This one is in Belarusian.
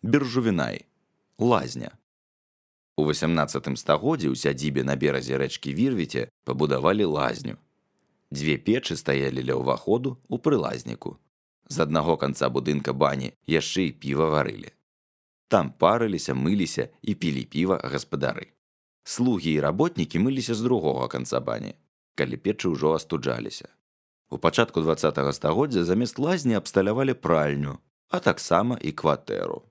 Биржувінай – лазня. У 18 стагоддзі ў сядзібе на беразе рэчкі Вірвіце пабудавалі лазню. Дзве печы стаялі ля ўваходу ў прылазніку. З аднаго канца будынка бані яшчэ і піва варылі. Там парыліся, мыліся і пілі піва гаспадары. Слугі і работнікі мыліся з другога канца бані, калі печы ўжо астуджаліся. У пачатку 20 стагоддзя замест лазні абсталявалі пральню, а таксама і кватэру.